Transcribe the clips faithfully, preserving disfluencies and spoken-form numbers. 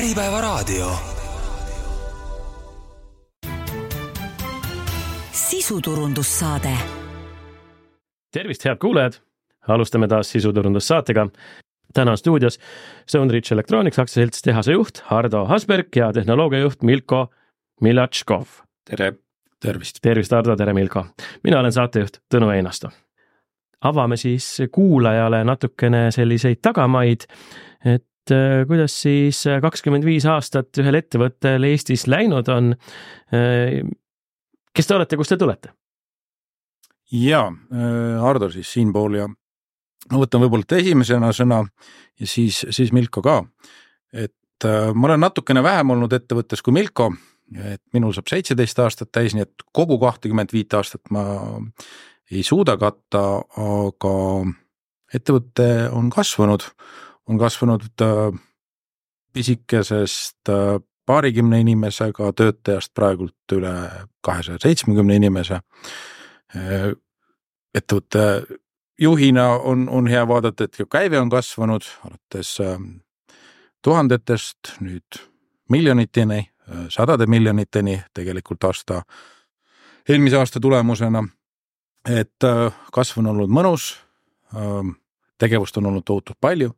Äripäevaraadio. Sisuturundussaade. Tervist, head kuulajad! Alustame taas sisuturundussaatega. Täna on stuudios Stoneridge Electronics aktsiaselts tehase juht Hardo Hasberg ja tehnoloogiajuht Milko Milatškov. Tere! Tervist! Tervist, Hardo! Tere, Milko! Mina olen saatejuht Tõnu Einasto. Avame siis kuulajale natukene selliseid tagamaid, et kuidas siis kakskümmend viis aastat ühel ettevõttel Eestis läinud on. Kes te olete, kust te tulete? Jaa, Hardo siis siinpool ja ma võtan võib-olla esimesena sõna ja siis, siis Milko ka. Et ma olen natukene vähem olnud ettevõttes kui Milko, et minul saab seitseteist aastat täis, nii et kogu kakskümmend viis aastat ma ei suuda katta, aga ettevõte on kasvanud, on kasvanud pisikesest paarikümne inimesega töötajast praegult üle kahesaja seitsmekümne inimese. Ettevõtte juhina on, on hea vaadata, et käive on kasvanud alates tuhandetest, nüüd miljoniteni, sadade miljoniteni tegelikult aasta, eelmise aasta tulemusena, et kasv on olnud mõnus, tegevust on olnud tohutult palju.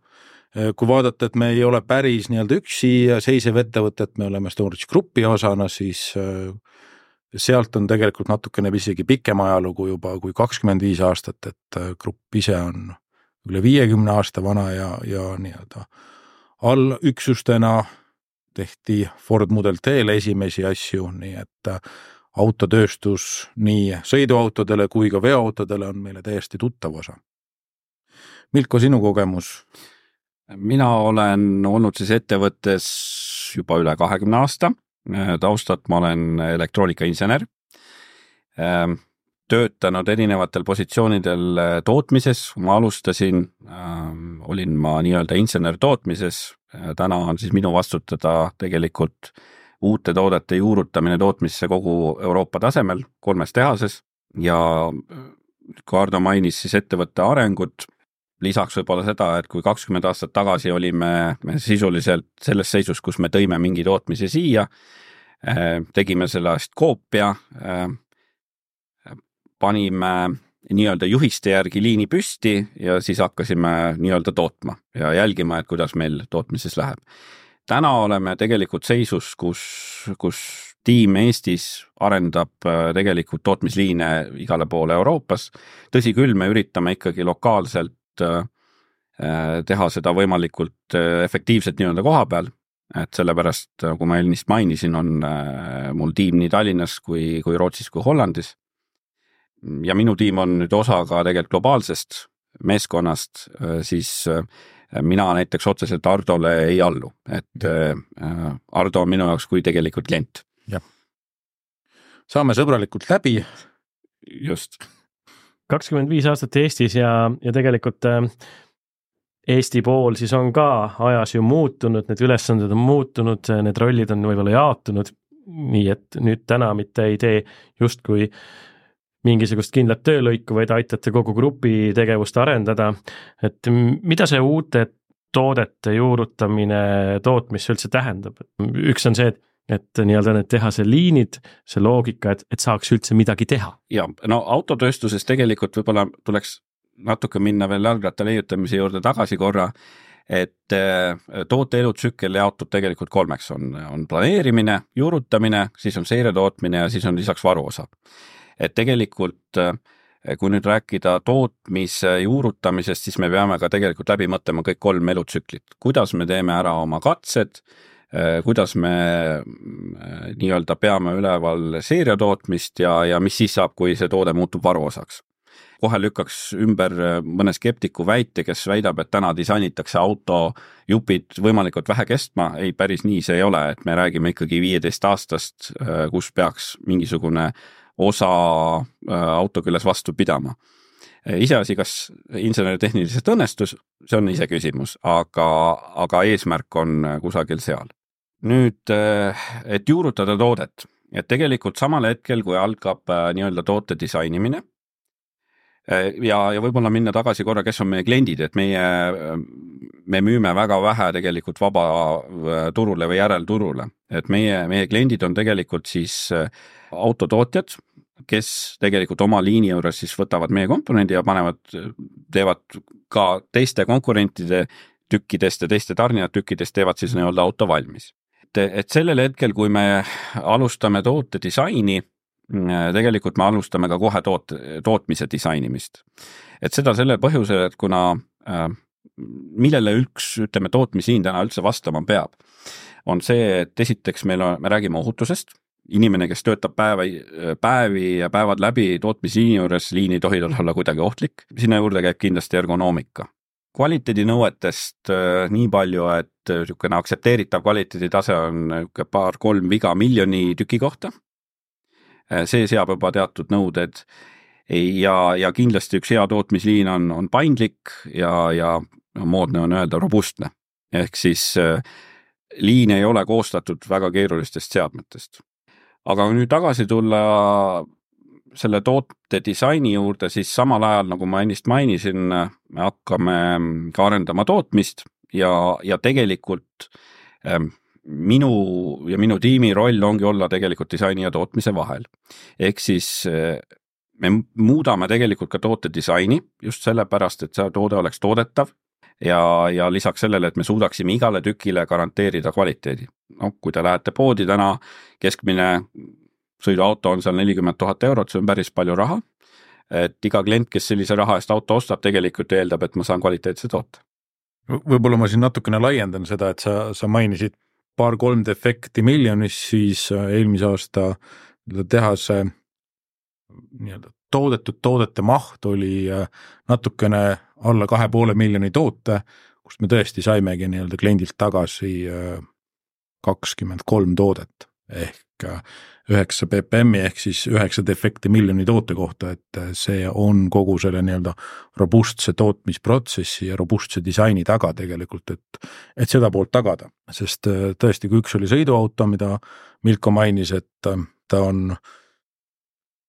Kui vaadata, et me ei ole päris nii-öelda üksi seisev ettevõtet, me oleme Stoneridge Grupi osana, siis sealt on tegelikult natukene isegi pikem ajalugu juba kui kakskümmend viis aastat, et grupp ise on üle viiekümne aasta vana ja, ja nii-öelda allüksustena tehti Ford Model T-le esimesi asju, nii et autotööstus nii sõiduautodele kui ka veoautodele on meile täiesti tuttav osa. Milko, sinu kogemus? Mina olen olnud siis ettevõttes juba üle kahekümne aasta. Taustat ma olen elektroonikainsener. Töötanud erinevatel positsioonidel tootmises. Ma alustasin, olin ma nii-öelda insener tootmises. Täna on siis minu vastutada tegelikult uute toodete juurutamine tootmisse kogu Euroopa tasemel kolmes tehases ja kui Hardo mainis siis ettevõtte arengut, lisaks võib-olla seda, et kui kakskümmend aastat tagasi olime me sisuliselt selles seisus, kus me tõime mingi tootmise siia, tegime sellest koopia, panime nii-öelda juhiste järgi liini püsti ja siis hakkasime nii-öelda tootma ja jälgima, et kuidas meil tootmises läheb. Täna oleme tegelikult seisus, kus, kus tiim Eestis arendab tegelikult tootmisliine igale poole Euroopas. Tõsi küll, me üritame ikkagi lokaalselt teha seda võimalikult efektiivselt nii-öelda koha peal, et sellepärast, kui ma ennist mainisin, on mul tiim nii Tallinnas kui, kui Rootsis kui Hollandis. Ja minu tiim on nüüd osa ka tegelikult globaalsest meeskonnast, siis mina näiteks otseselt Hardole ei allu, et Hardo on minu jaoks kui tegelikult klient. Ja. Saame sõbralikult läbi. Just. kakskümmend viis aastat Eestis ja, ja tegelikult Eesti pool siis on ka ajas ju muutunud, need ülesanded on muutunud, need rollid on võib-olla jaotunud, nii et nüüd täna mitte ei tee just kui mingisugust kindlat töölõiku, vaid aitate kogu grupi tegevust arendada. Et mida see uute toodete juurutamine tootmisse üldse tähendab? Üks on see, et et nii-öelda need tehase liinid, see loogika, et, et saaks üldse midagi teha. Ja, no autotööstuses tegelikult võib-olla tuleks natuke minna veel jalgratta leiutamise juurde tagasi korra, et toote elutsükkel jaotub tegelikult kolmeks. On, on planeerimine, juurutamine, siis on seiretootmine ja siis on lisaks varuosa. Et tegelikult, kui nüüd rääkida tootmise juurutamisest, siis me peame ka tegelikult läbi mõtlema kõik kolm elutsüklit. Kuidas me teeme ära oma katsed, kuidas me nii-öelda peame üleval seeriatootmist ja, ja mis siis saab, kui see toode muutub varuosaks. Kohe lükkaks ümber mõne skeptiku väite, kes väidab, et täna disainitakse auto jupid võimalikult vähe kestma. Ei, päris nii see ei ole, et me räägime ikkagi viieteist aastast, kus peaks mingisugune osa auto külles vastu pidama. Iseasi, kas inseneritehniliselt õnnestus, see on ise küsimus, aga, aga eesmärk on kusagil seal. Nüüd, et juurutada toodet, et tegelikult samal hetkel, kui algab nii-öelda toote disainimine, ja, ja võib-olla minna tagasi korra, kes on meie kliendid, et meie, me müüme väga vähe tegelikult vaba turule või järelturule, et meie, meie kliendid on tegelikult siis autotootjad, kes tegelikult oma liini juures siis võtavad meie komponendi ja panevad, teevad ka teiste konkurentide tükkidest ja teiste tarnijad tükkidest teevad siis nii-öelda auto valmis. Et, et sellel hetkel, kui me alustame toote disaini, tegelikult me alustame ka kohe toot, tootmise disainimist. Et seda selle põhjusel, et kuna äh, millele üks, ütleme, tootmisliin täna üldse vastama peab, on see, et esiteks meil on, me räägime ohutusest, inimene, kes töötab päevi, päevi ja päevad läbi tootmisliini juures, liin ei tohi olla kuidagi ohtlik, sinna juurde käib kindlasti ergonoomika. Kvaliteedinõuetest äh, nii palju, et niisugune aktsepteeritav kvaliteeditase on paar-kolm viga miljoni tüki kohta. See seab juba teatud nõuded ja, ja kindlasti üks hea tootmisliin on, on paindlik ja, ja moodne on öelda robustne. Ehk siis äh, liin ei ole koostatud väga keerulistest seadmetest. Aga kui nüüd tagasi tulla selle toote disaini juurde, siis samal ajal, nagu ma ennist mainisin, me hakkame ka arendama tootmist ja, ja tegelikult ähm, minu ja minu tiimi roll ongi olla tegelikult disaini ja tootmise vahel. Ehk siis me muudame tegelikult ka toote disaini just sellepärast, et see toode oleks toodetav ja, ja lisaks sellele, et me suudaksime igale tükile garanteerida kvaliteedi. No, kui te lähete poodi täna, keskmine sõiduauto on seal nelikümmend tuhat eurot, see on päris palju raha. Et iga klient, kes sellise raha eest auto ostab, tegelikult eeldab, et ma saan kvaliteetse toote. Võib-olla ma siin natukene laiendan seda, et sa, sa mainisid paar-kolm defekti miljonis, siis eelmise aasta tehase nii-öelda toodetud toodete maht oli natukene alla kahe poole miljoni toote, kus me tõesti saimegi nii-öelda kliendilt tagasi kakskümmend kolm toodet ehk üheksa B P M-i ehk siis üheksa defekti miljoni toote kohta, et see on kogu selle nii-öelda robustse tootmisprotsessi ja robustse disaini taga tegelikult, et, et seda poolt tagada. Sest tõesti, kui üks oli sõiduauto, mida Milko mainis, et ta on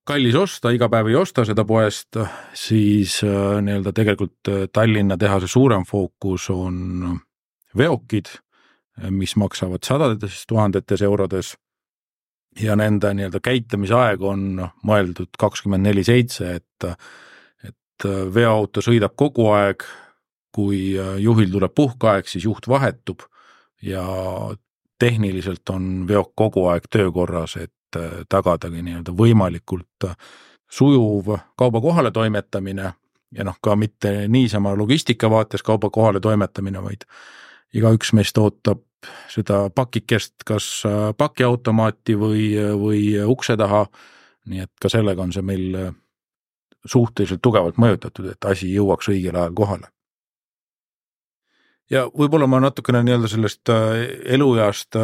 kallis osta, iga päev ei osta seda poest, siis nii-öelda tegelikult Tallinna tehase suurem fookus on veokid, mis maksavad sadades tuhandetes eurodes ja nende nii-öelda käitamisaeg on mõeldud kakskümmend neli seitse, et, et veoauto sõidab kogu aeg, kui juhil tuleb puhkaeg, siis juht vahetub ja tehniliselt on veok kogu aeg töökorras, et tagadagi nii-öelda võimalikult sujuv kauba kohale toimetamine ja noh, ka mitte niisama logistika vaates kauba kohale toimetamine, vaid iga üks meist ootab seda pakikest kas pakiautomaati või, või ukse taha, nii et ka sellega on see meil suhteliselt tugevalt mõjutatud, et asi jõuaks õigel ajal kohale. Ja võib-olla ma natukene nii-öelda sellest elueast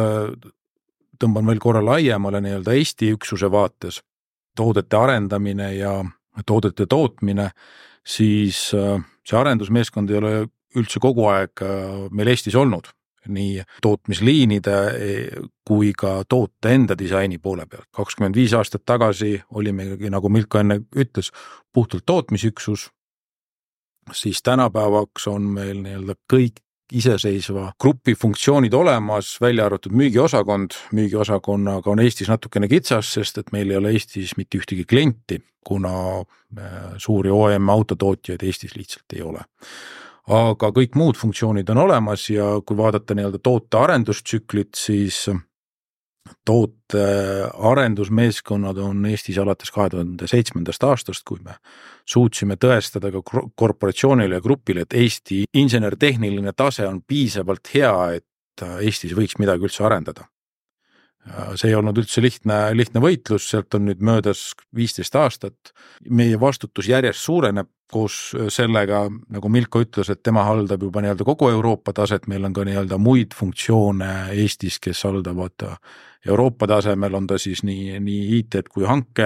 tõmban veel korra laiemale nii-öelda Eesti üksuse vaates, toodete arendamine ja toodete tootmine, siis see arendusmeeskond ei ole üldse kogu aeg meil Eestis olnud, nii tootmisliinide kui ka toote enda disaini poole pealt. kakskümmend viis aastat tagasi olimegi, nagu Milko enne ütles, puhtalt tootmisüksus, siis tänapäevaks on meil nii-öelda kõik iseseisva grupi funktsioonid olemas, välja arvatud müügiosakond. Müügiosakonnaga on Eestis natukene kitsas, sest et meil ei ole Eestis mitte ühtegi klienti, kuna suuri O E M autotootjaid Eestis lihtsalt ei ole. Aga kõik muud funktsioonid on olemas ja kui vaadata nii-öelda toote arendustsüklit, siis toote arendusmeeskonnad on Eestis alates kahe tuhande seitsmendast aastast, kui me suutsime tõestada ka korporatsioonile ja grupile, et Eesti insenertehniline tase on piisavalt hea, et Eestis võiks midagi üldse arendada. See ei olnud üldse lihtne, lihtne võitlus, sealt on nüüd möödas viisteist aastat. Meie vastutus järjest suureneb koos sellega, nagu Milko ütles, et tema haldab juba nii-öelda kogu Euroopa taset, meil on ka nii-öelda muid funktsioone Eestis, kes haldavad Euroopa tasemel, on ta siis nii, nii I T kui hanke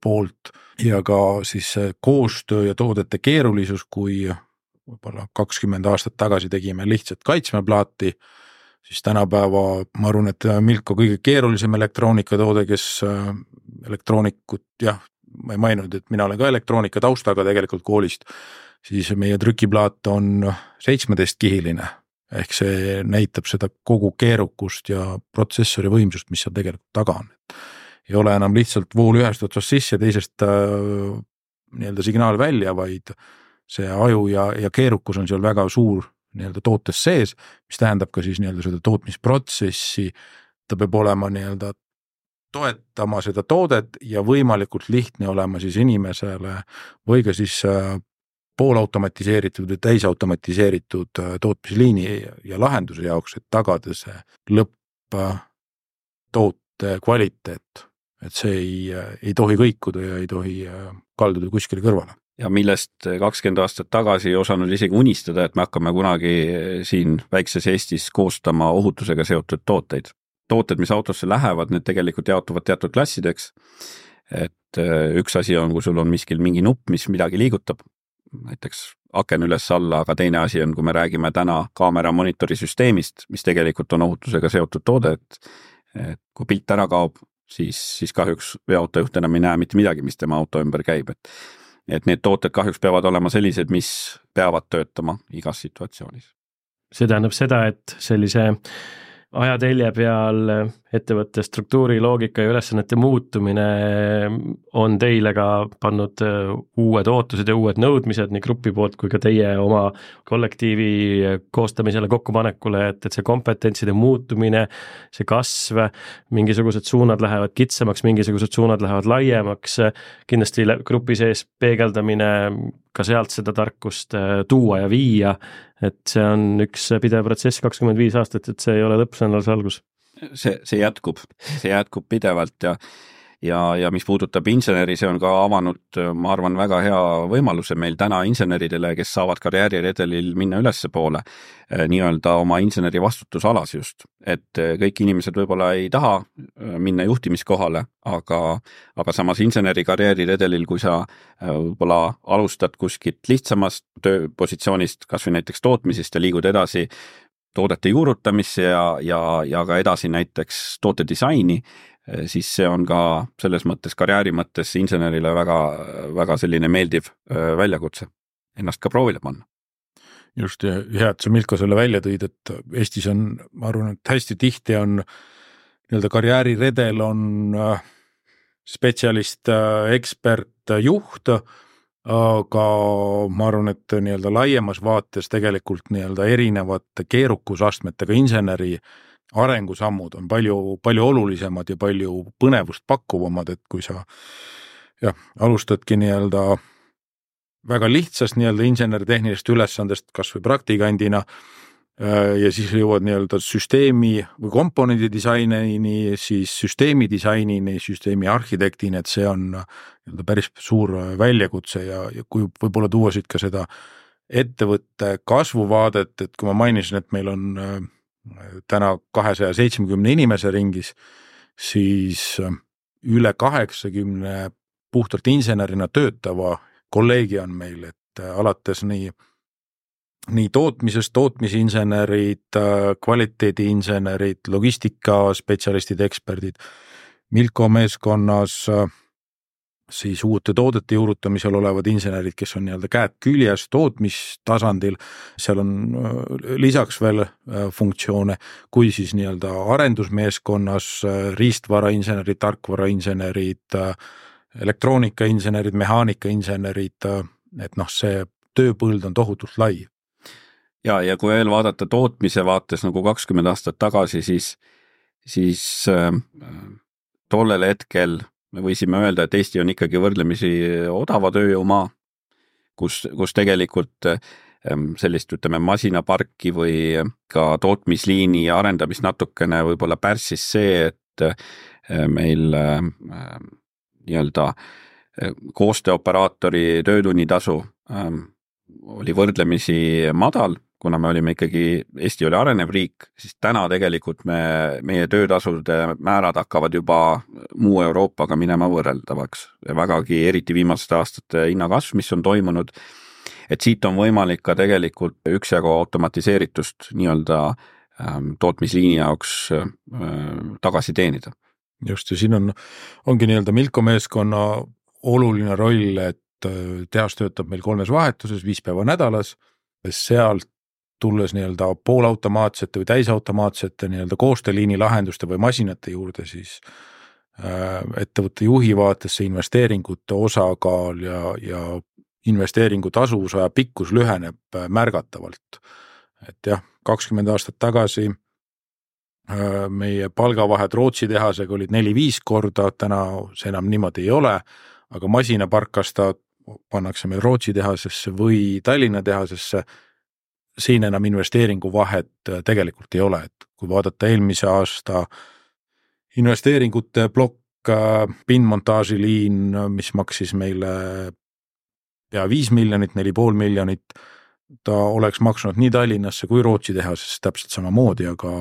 poolt ja ka siis koostöö ja toodete keerulisus, kui võib-olla kakskümmend aastat tagasi tegime lihtsalt kaitsmeplaati, siis tänapäeva, ma arvan, et Milko kõige keerulisem elektroonikatoode, kes elektroonikut jah, ma ei maininud, et mina olen ka elektroonika taustaga tegelikult koolist, siis meie trükiplaat on seitsmeteistkihiline, ehk see näitab seda kogu keerukust ja protsessori võimsust, mis seal tegelikult taga on. Ei ole enam lihtsalt vool ühest otsast sisse, teisest äh, nii-öelda signaal välja, vaid see aju ja, ja keerukus on seal väga suur nii-öelda tootes sees, mis tähendab ka siis nii-öelda seda tootmisprotsessi, ta peab olema nii-öelda toetama seda toodet ja võimalikult lihtne olema siis inimesele või ka siis poolautomatiseeritud või täisautomatiseeritud tootmisliini ja lahenduse jaoks, et tagada see lõpptoote kvaliteet, et see ei, ei tohi kõikuda ja ei tohi kalduda kuskile kõrvale. Ja millest kakskümmend aastat tagasi ei osanud isegi unistada, et me hakkame kunagi siin väikses Eestis koostama ohutusega seotud tooteid. Tooted, mis autosse lähevad, need tegelikult jaotuvad teatud klassideks, et üks asi on, kui sul on miskil mingi nupp, mis midagi liigutab, näiteks aken üles alla, aga teine asi on, kui me räägime täna kaamera monitori süsteemist, mis tegelikult on ohutusega seotud toode, et, et kui pilt ära kaob, siis, siis kahjuks veoautojuht enam ei näe mitte midagi, mis tema auto ümber käib, et, et need tooted kahjuks peavad olema sellised, mis peavad töötama igas situatsioonis. See tähendab seda, et sellise ajatelje peal ettevõtte struktuuri, loogika ja ülesannete muutumine on teile ka pannud uued ootused ja uued nõudmised nii grupi poolt kui ka teie oma kollektiivi koostamisele kokkupanekule, et, et see kompetentside muutumine, see kasv, mingisugused suunad lähevad kitsamaks, mingisugused suunad lähevad laiemaks, kindlasti grupi sees peegeldamine, ka sealt seda tarkust tuua ja viia, et see on üks pidev protsess kakskümmend viis aastat, et see ei ole lõpp, see on alles algus. See, see jätkub, see jätkub pidevalt ja, ja, ja mis puudutab inseneri, see on ka avanud, ma arvan, väga hea võimaluse meil täna inseneridele, kes saavad karjääriredelil minna ülesse poole, nii-öelda oma inseneri vastutusalas just, et kõik inimesed võib-olla ei taha minna juhtimiskohale, aga, aga samas inseneri karjääriredelil, kui sa võib-olla alustad kuskilt lihtsamast tööpositsioonist, kas või näiteks tootmisest ja liigud edasi toodete juurutamisse ja, ja, ja ka edasi näiteks toote disaini, siis see on ka selles mõttes karjääri mõttes insenerile väga, väga selline meeldiv väljakutse, ennast ka proovile panna. Just ja hea, et sa Milko selle välja tõid, et Eestis on, ma arvan, et hästi tihti on nii-öelda karjääriredel on spetsialist, ekspert, juht, aga ma arvan, et nii-öelda laiemas vaates tegelikult nii-öelda erinevate keerukusastmetega inseneri arengusammud on palju, palju olulisemad ja palju põnevust pakkuvamad, et kui sa jah, alustadki nii-öelda väga lihtsast nii-öelda insener-tehnilist ülesandest kas või praktikandina ja siis jõuad nii-öelda süsteemi või komponendi disainini, siis süsteemi disainini, süsteemi arhitektini, et see on nii-öelda päris suur väljakutse ja, ja kui võib-olla tuua siit ka seda ettevõtte kasvuvaadet, et kui ma mainisin, et meil on täna kahesaja seitsmekümne inimese ringis, siis üle kaheksakümne puhtalt insenerina töötava kolleegi on meil, et alates nii nii tootmisest, tootmisinsenerid, kvaliteediinsenerid, logistikaspetsialistid, eksperdid, Milko meeskonnas siis uute toodete juurutamisel olevad insenerid, kes on nii-öelda käed küljes tootmistasandil, seal on lisaks veel funktsioone, kui siis nii-öelda arendusmeeskonnas riistvarainsenerid, tarkvarainsenerid, elektroonikainsenerid, mehaanikainsenerid, et noh, see tööpõld on tohutult lai. Ja, ja kui veel vaadata tootmise vaates nagu kakskümmend aastat tagasi, siis, siis äh, tollel hetkel me võisime öelda, et Eesti on ikkagi võrdlemisi odava tööjõumaa, kus, kus tegelikult äh, sellist, ütleme, masinaparki või ka tootmisliini arendamist natukene võib-olla pärssis see, et äh, meil äh, nii-öelda äh, koostööoperaatori töötunnitasu äh, oli võrdlemisi madal, kuna me olime ikkagi, Eesti oli arenev riik, siis täna tegelikult me, meie töötasude määrad hakkavad juba muu Euroopaga minema võrreldavaks. Ja vägagi eriti viimaste aastate hinnakasv, mis on toimunud, et siit on võimalik ka tegelikult üksjagu automatiseeritust nii-öelda ähm, tootmisliini jaoks äh, tagasi teenida. Just, ja siin on, ongi nii-öelda Milko meeskonna oluline roll, et tehas töötab meil kolmes vahetuses, viis päeva nädalas, sealt tulles nii-öelda poolautomaatsete või täisautomaatsete nii-öelda koostööliini lahenduste või masinate juurde, siis ettevõtte juhi vaatesse investeeringute osakaal ja, ja investeeringu tasuvusaja pikkus lüheneb märgatavalt. Et jah, kakskümmend aastat tagasi meie palgavahed Rootsi tehasega olid neli viis korda, täna see enam niimoodi ei ole, aga masinaparkasta pannakse meil Rootsi tehasesse või Tallinna tehasesse, siin enam investeeringu vahet tegelikult ei ole, et kui vaadata eelmise aasta investeeringute plokk, pindmontaažiliin, mis maksis meile pea viis miljonit, neli pool miljonit, ta oleks maksnud nii Tallinnasse kui Rootsi tehasesse täpselt samamoodi, aga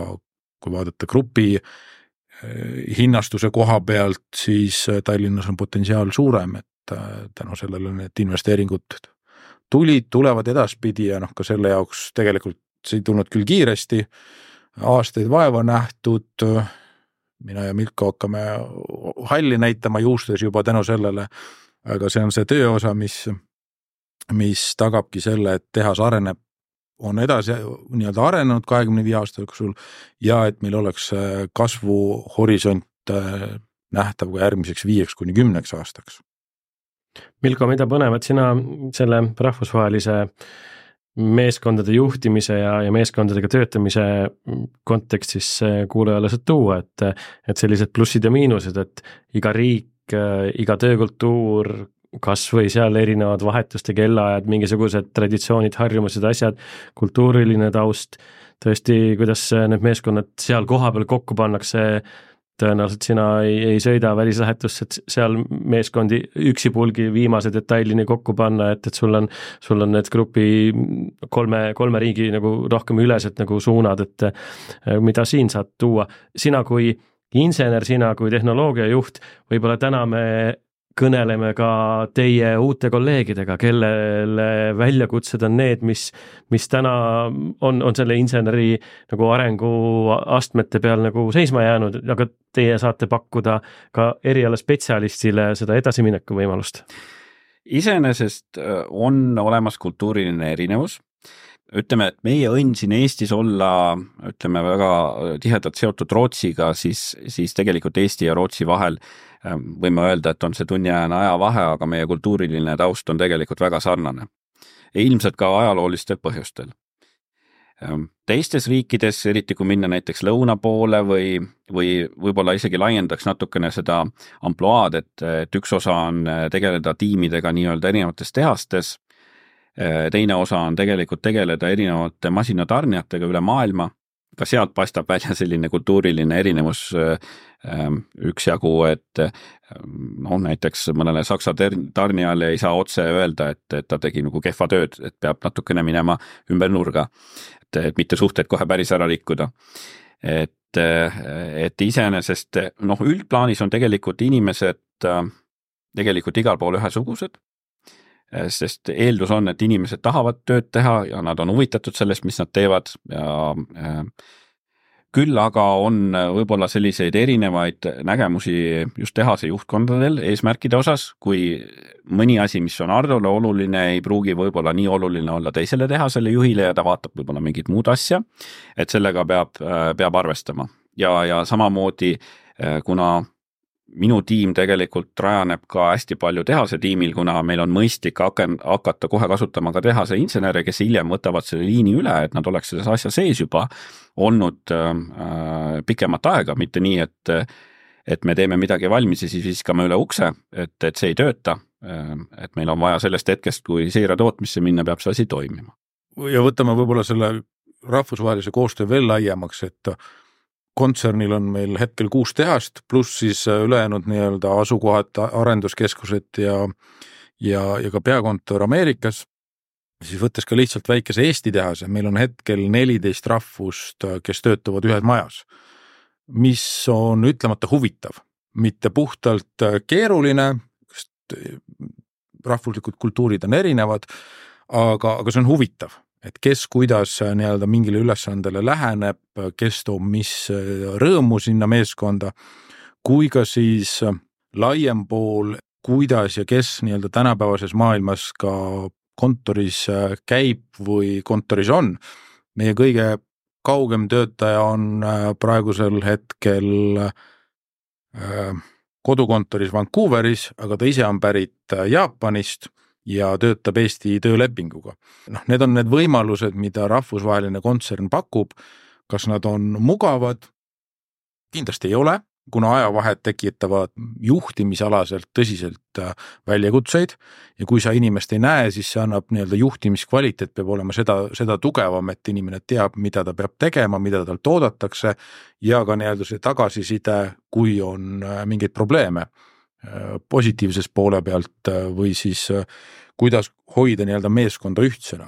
kui vaadata grupi hinnastuse koha pealt, siis Tallinnas on potentsiaal suurem, et tänu sellele need investeeringud tulid, tulevad edaspidi ja noh, ka selle jaoks tegelikult see ei tulnud küll kiiresti, aastaid vaeva nähtud, mina ja Milko hakkame halli näitama juustes juba tänu sellele, aga see on see tööosa, mis, mis tagabki selle, et tehas areneb, on edasi nii-öelda arenenud kahekümne viie aasta jooksul ja et meil oleks kasvuhorisont nähtav ka järgmiseks viieks kuni kümneks aastaks. Milko, mida põnevad sina selle rahvusvahelise meeskondade juhtimise ja, ja meeskondadega töötamise kontekstis kuulajale saad tuua, et, et sellised plussid ja miinused, et iga riik, iga töökultuur, kas või seal erinevad vahetuste kellaajad, mingisugused traditsioonid, harjumused, asjad, kultuuriline taust, tõesti, kuidas need meeskonnad seal koha peal kokku pannakse, tõenäoliselt sina ei, ei sõida välislähetusse, et seal meeskondi üksipulgi viimase detailini kokku panna, et, et sul on, sul on need grupi kolme, kolme riigi nagu rohkem ülesed nagu suunad, et mida siin saad tuua. Sina kui insener, sina kui tehnoloogiajuht, võib-olla täna me kõneleme ka teie uute kolleegidega, kellele väljakutsed on need, mis, mis täna on, on selle inseneri nagu arengu astmete peal nagu seisma jäänud, aga teie saate pakkuda ka eriala spetsialistile seda edasimineku võimalust. Iseenesest on olemas kultuuriline erinevus. Ütleme, et meie õnn siin Eestis olla, ütleme, väga tihedalt seotud Rootsiga, siis, siis tegelikult Eesti ja Rootsi vahel võime öelda, et on see tunniajane ajavahe, aga meie kultuuriline taust on tegelikult väga sarnane. Ja ilmselt ka ajaloolistel põhjustel. Teistes riikides, eriti kui minna näiteks lõuna poole või, või võib-olla isegi laiendaks natukene seda amploaad, et, et üks osa on tegeleda tiimidega nii-öelda erinevates tehastes, teine osa on tegelikult tegeleda erinevate masinatarnijatega üle maailma, ka sealt paistab välja selline kultuuriline erinevus üksjagu, et no, näiteks mõnele saksa tarnijale ei saa otse öelda, et, et ta tegi nagu kehva tööd, et peab natukene minema ümber nurga, et, et mitte suhted kohe päris ära rikkuda. Et, et iseenesest, noh, üldplaanis on tegelikult inimesed tegelikult igal pool ühesugused, sest eeldus on, et inimesed tahavad tööd teha ja nad on huvitatud sellest, mis nad teevad ja küll aga on võib-olla selliseid erinevaid nägemusi just tehase juhtkondadel eesmärkide osas, kui mõni asi, mis on Hardole oluline, ei pruugi võib-olla nii oluline olla teisele tehasele juhile ja ta vaatab võib-olla mingit muud asja, et sellega peab, peab arvestama. Ja, ja samamoodi, kuna minu tiim tegelikult rajaneb ka hästi palju tehase tiimil, kuna meil on mõistlik hakata kohe kasutama ka tehase insenere, kes hiljem võtavad selle liini üle, et nad oleks selles asja sees juba olnud äh, pikemat aega, mitte nii, et, et me teeme midagi valmis ja siis viskame üle ukse, et, et see ei tööta, et meil on vaja sellest hetkest, kui seire tootmisse minna, peab see asi toimima. Ja võtame võib-olla selle rahvusvahelise koostöö veel laiemaks, et kontsernil on meil hetkel kuus tehast, pluss siis ülejäänud nii-öelda asukohad, arenduskeskused ja, ja, ja ka peakontor Ameerikas. Siis võttes ka lihtsalt väikese Eesti tehase, meil on hetkel neliteist rahvust, kes töötavad ühes majas, mis on ütlemata huvitav, mitte puhtalt keeruline, sest rahvuslikud kultuurid on erinevad, aga, aga see on huvitav. Et kes kuidas nii-öelda mingile ülesandele läheneb, kes toob mis rõõmu sinna meeskonda, kui ka siis laiem pool kuidas ja kes nii-öelda tänapäevases maailmas ka kontoris käib või kontoris on. Meie kõige kaugem töötaja on praegusel hetkel kodukontoris Vancouveris, aga ta ise on pärit Jaapanist ja töötab Eesti töölepinguga. Noh, need on need võimalused, mida rahvusvaheline kontsern pakub. Kas nad on mugavad? Kindlasti ei ole, kuna ajavahed tekitavad juhtimisalaselt tõsiselt väljakutseid ja kui sa inimest ei näe, siis see annab nii-öelda juhtimiskvaliteet peab olema seda, seda tugevam, et inimene teab, mida ta peab tegema, mida tal toodatakse ja ka nii-öelda see tagasiside, kui on mingeid probleeme positiivses poole pealt või siis kuidas hoida nii-öelda meeskonda ühtsena.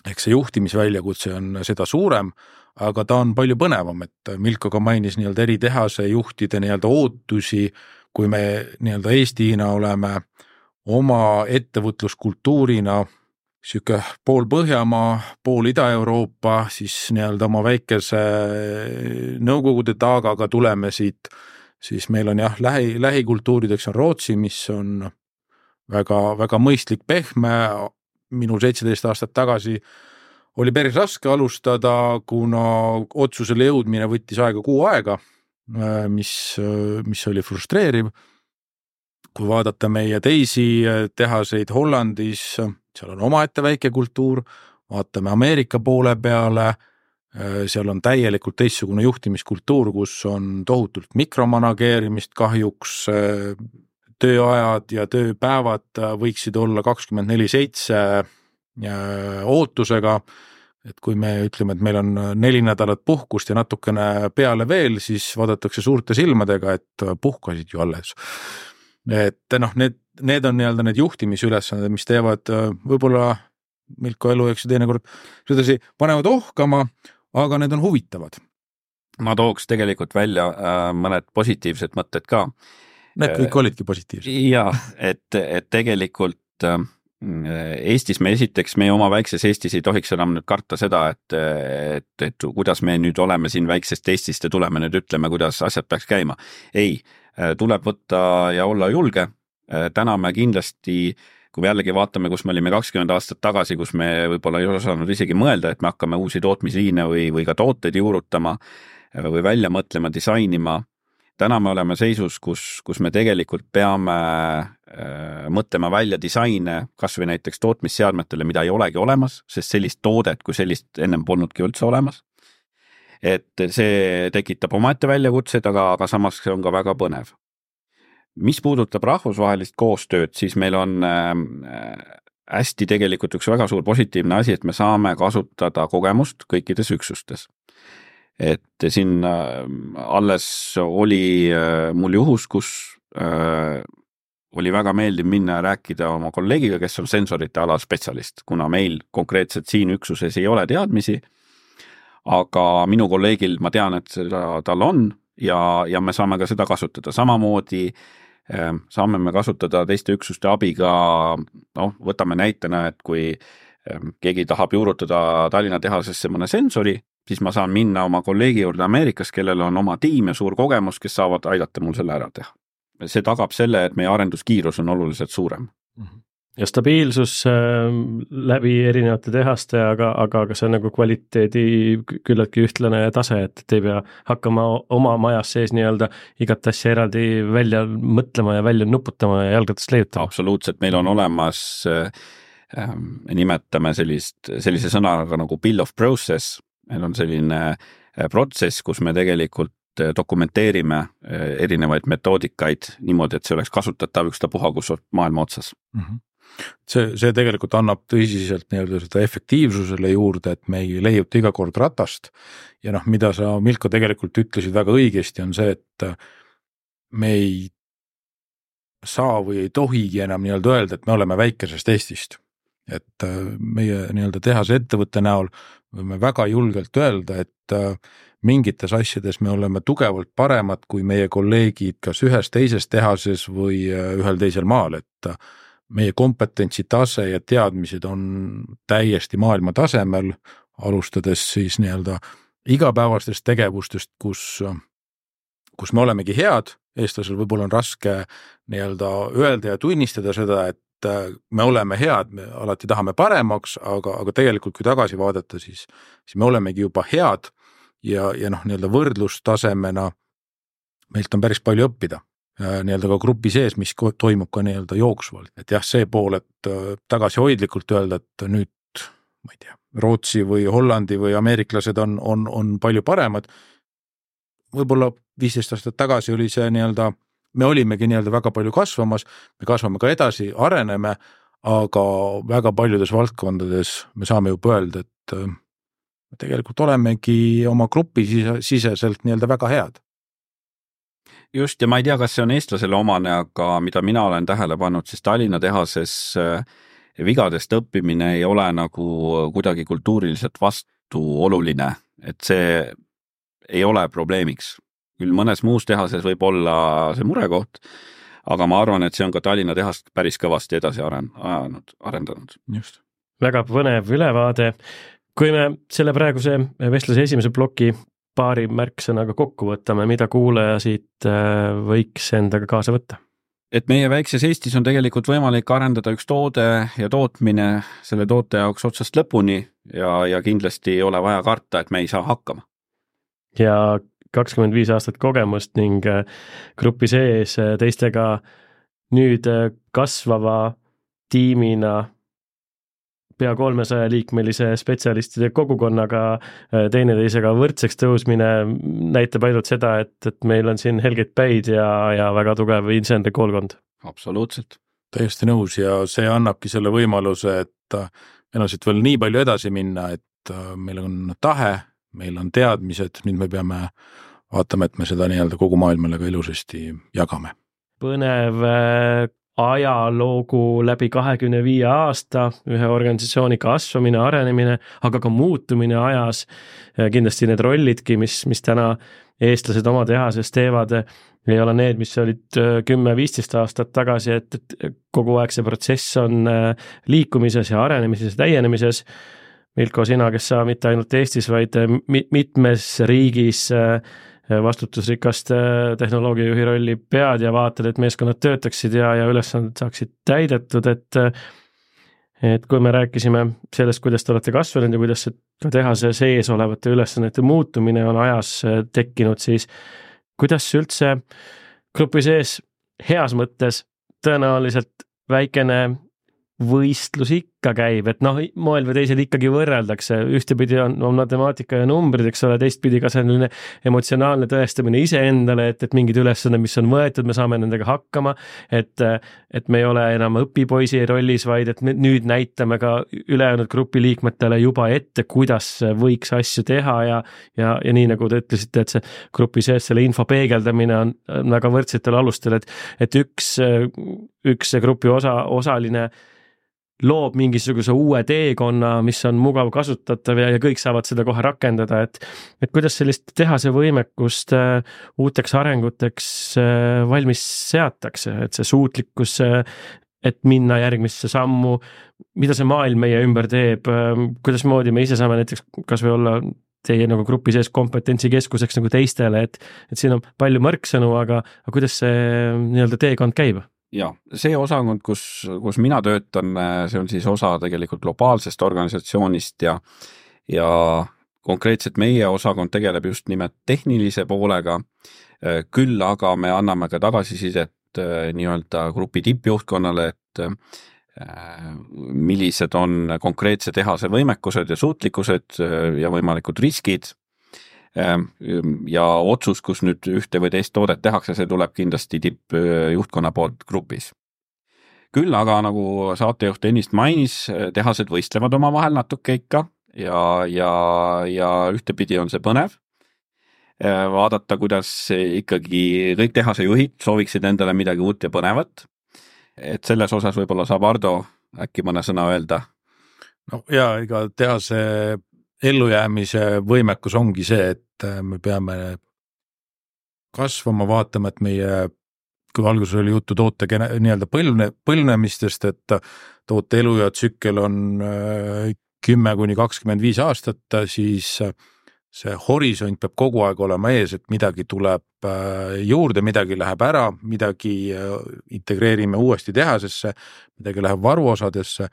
Ehk see juhtimisväljakutse on seda suurem, aga ta on palju põnevam, et Milko ka mainis nii-öelda eri tehase juhtide nii-öelda ootusi, kui me nii-öelda Eestiina oleme oma ettevõtluskultuurina siuke pool Põhjamaa, pool Ida-Euroopa, siis nii-öelda oma väikese Nõukogude taagaga tuleme siit, siis meil on jah, lähi, lähikultuurideks on Rootsi, mis on väga, väga mõistlik pehme, minul seitseteist aastat tagasi oli päris raske alustada, kuna otsusele jõudmine võttis aega kuu aega, mis, mis oli frustreeriv. Kui vaadata meie teisi tehaseid Hollandis, seal on omaette väike kultuur, vaatame Ameerika poole peale, seal on täielikult teistsugune juhtimiskultuur, kus on tohutult mikromanageerimist kahjuks, tööajad ja tööpäevad võiksid olla kakskümmend neli seitse ootusega, et kui me ütleme, et meil on neli nädalat puhkust ja natukene peale veel, siis vaadatakse suurte silmadega, et puhkasid ju alles. Et noh, need, need on nii-öelda need juhtimisülesanded, mis teevad võib-olla Milko elu, eks teinekord sedasi panevad ohkama, aga need on huvitavad. Ma tooks tegelikult välja äh, mõned positiivsed mõtted ka. Need kõik olidki positiivsed. Jaa, et, et tegelikult äh, Eestis me esiteks, meie oma väikses Eestis ei tohiks enam nüüd karta seda, et, et, et kuidas me nüüd oleme siin väiksest Eestist ja tuleme nüüd ütleme, kuidas asjad peaks käima. Ei, tuleb võtta ja olla julge. Täna me kindlasti, kui me jällegi vaatame, kus me olime kakskümmend aastat tagasi, kus me võib-olla ei osanud isegi mõelda, et me hakkame uusi tootmisliine või, või ka tooteid juurutama või välja mõtlema, disainima. Täna me oleme seisus, kus, kus me tegelikult peame äh, mõtlema välja disaine, kas või näiteks tootmisseadmetele, mida ei olegi olemas, sest sellist toodet, kui sellist ennem polnudki üldse olemas. Et see tekitab omaette väljakutsed, aga, aga samas see on ka väga põnev. Mis puudutab rahvusvahelist koostööd, siis meil on äh, hästi tegelikult üks väga suur positiivne asi, et me saame kasutada kogemust kõikides üksustes. Et siin alles oli mul juhus, kus äh, oli väga meeldiv minna rääkida oma kolleegiga, kes on sensorite ala spetsialist, kuna meil konkreetselt siin üksuses ei ole teadmisi, aga minu kolleegil ma tean, et seda tal on ja, ja me saame ka seda kasutada. Samamoodi äh, saame me kasutada teiste üksuste abiga, noh, võtame näitena, et kui äh, keegi tahab juurutada Tallinna tehasesse mõne sensori, siis ma saan minna oma kolleegi juurde Ameerikas, kellel on oma tiim ja suur kogemus, kes saavad aidata mul selle ära teha. See tagab selle, et meie arenduskiirus on oluliselt suurem. Ja stabiilsus äh, läbi erinevate tehaste, aga, aga, aga see on nagu kvaliteedi küllaltki ühtlane tase, et ei pea hakkama oma majas sees nii-öelda igat asja eraldi välja mõtlema ja välja nuputama ja jalgatast leiutama. Absoluutselt, meil on olemas äh, nimetame sellist, sellise sõnaga nagu bill of process. Meil on selline protsess, kus me tegelikult dokumenteerime erinevaid metoodikaid niimoodi, et see oleks kasutatav ükstapuha, kus on maailma otsas. Mm-hmm. See, see tegelikult annab tõsiselt nii-öelda seda efektiivsusele juurde, et me ei leiuta iga kord ratast ja noh, mida sa, Milko, tegelikult ütlesid väga õigesti, on see, et me ei saa või ei tohigi enam nii-öelda öelda, et me oleme väikesest Eestist. Et meie nii-öelda tehase ettevõtte näol võime väga julgelt öelda, et mingites asjades me oleme tugevalt paremad kui meie kolleegid kas ühes teises tehases või ühel teisel maal, et meie kompetentsi tase ja teadmised on täiesti maailma tasemel, alustades siis nii-öelda igapäevastest tegevustest, kus, kus me olemegi head eestlasel võib-olla on raske nii-öelda öelda ja tunnistada seda, et me oleme head, me alati tahame paremaks, aga, aga tegelikult kui tagasi vaadata, siis, siis me olemegi juba head ja, ja noh, nii-öelda võrdlustasemena meilt on päris palju õppida. Nii-öelda ka grupi sees, mis toimub ka nii-öelda jooksvalt. Et jah, see pool, et tagasi hoidlikult öelda, et nüüd, ma ei tea, Rootsi või Hollandi või ameeriklased on, on, on palju paremad. Võib-olla viisteist aastat tagasi oli see nii-öelda me olimegi nii-öelda väga palju kasvamas, me kasvame ka edasi, areneme, aga väga paljudes valdkondades me saame juba öelda, et me tegelikult olemegi oma grupi siseselt nii-öelda väga head. Just, ja ma ei tea, kas see on eestlasele omane, aga mida mina olen tähele pannud, siis Tallinna tehases vigadest õppimine ei ole nagu kuidagi kultuuriliselt vastu oluline, et see ei ole probleemiks. Küll mõnes muus tehases võib olla see murekoht, aga ma arvan, et see on ka Tallinna tehast päris kõvasti edasi arendanud. arendanud. Just. Väga põnev ülevaade. Kui me selle praeguse vestluse esimese ploki paari märksõnaga kokku võtame, mida kuulaja siit võiks endaga kaasa võtta? Et meie väikses Eestis on tegelikult võimalik arendada üks toode ja tootmine selle toote jaoks otsast lõpuni ja, ja kindlasti ei ole vaja karta, et me ei saa hakkama. Ja kakskümmend viis aastat kogemust ning grupi sees teistega nüüd kasvava tiimina pea kolmesaja liikmelise spetsialistide kogukonnaga teineteisega võrdseks tõusmine näitab ainult seda, et, et meil on siin helgeid päid ja, ja väga tugev inseneri koolkond. Absoluutselt. Täiesti nõus ja see annabki selle võimaluse, et meil on siit veel nii palju edasi minna, et meil on tahe, meil on teadmised, nüüd me peame vaatama, et me seda nii-öelda kogu maailmale ka ilusasti jagame. Põnev ajaloogu läbi kahekümne viie aasta, ühe organisatsiooni kasvamine, arenemine, aga ka muutumine ajas. Kindlasti need rollidki, mis, mis täna eestlased oma tehases teevad, ei ole need, mis olid kümme viisteist aastat tagasi, et, et kogu aeg see protsess on liikumises ja arenemises ja täienemises. Milko, sina, kes sa mitte ainult Eestis, vaid mitmes riigis vastutusrikast tehnoloogiajuhi rolli pead ja vaatad, et meeskonnad töötaksid ja, ja ülesanded saaksid täidetud, et, et kui me rääkisime sellest, kuidas te olete kasvanud ja kuidas ka tehase sees olevate ülesannete muutumine on ajas tekkinud, siis kuidas üldse grupi sees heas mõttes tõenäoliselt väikene võistlus ikka käib, et noh, moel või teisel ikkagi võrreldakse, ühtepidi on, on matemaatika ja numbrid, eks ole, teistpidi ka selline emotsionaalne tõestamine iseendale, et, et mingid ülesanded, mis on võetud, me saame nendega hakkama, et, et me ei ole enam õpipoisi rollis, vaid et me nüüd näitame ka ülejäänud grupi liikmetele juba ette, kuidas võiks asju teha ja, ja, ja nii nagu te ütlesite, et see grupi sees selle info peegeldamine on väga võrdsetel alustel, et, et üks, üks grupi osa, osaline loob mingisuguse uue teekonna, mis on mugav kasutatav ja, ja kõik saavad seda kohe rakendada, et, et kuidas sellist tehase võimekust äh, uuteks arenguteks äh, valmis seatakse, et see suutlikkus, äh, et minna järgmisse sammu, mida see maailm meie ümber teeb, äh, kuidas moodi me ise saame näiteks kas või olla teie nagu grupi sees kompetentsikeskuseks nagu teistele, et, et siin on palju märksõnu, aga, aga kuidas see nii-öelda teekond käib? Ja, see osakond, kus, kus mina töötan, see on siis osa tegelikult globaalsest organisatsioonist ja, ja konkreetselt meie osakond tegeleb just nimelt tehnilise poolega, küll aga me anname ka tagasisidet nii-öelda grupi tippjuhtkonnale, et millised on konkreetse tehase võimekused ja suutlikkused ja võimalikud riskid. Ja otsus, kus nüüd ühte või teist toodet tehakse, see tuleb kindlasti tippjuhtkonna poolt grupis. Küll aga nagu saatejuht ennist mainis, tehased võistlevad oma vahel natuke ikka ja, ja, ja ühtepidi on see põnev. Vaadata, kuidas ikkagi kõik tehase juhid sooviksid endale midagi uut ja põnevat. Et selles osas võib-olla saab Ardo äkki mõne sõna öelda. No ja ega tehase ellujäämise võimekus ongi see, et me peame kasvama, vaatama, et meie, kui alguses oli juttu toote nii-öelda põlne, põlnemistest, et toote elu ja tsükkel on kümme kuni kakskümmend viis aastat, siis see horisont peab kogu aeg olema ees, et midagi tuleb juurde, midagi läheb ära, midagi integreerime uuesti tehasesse, midagi läheb varuosadesse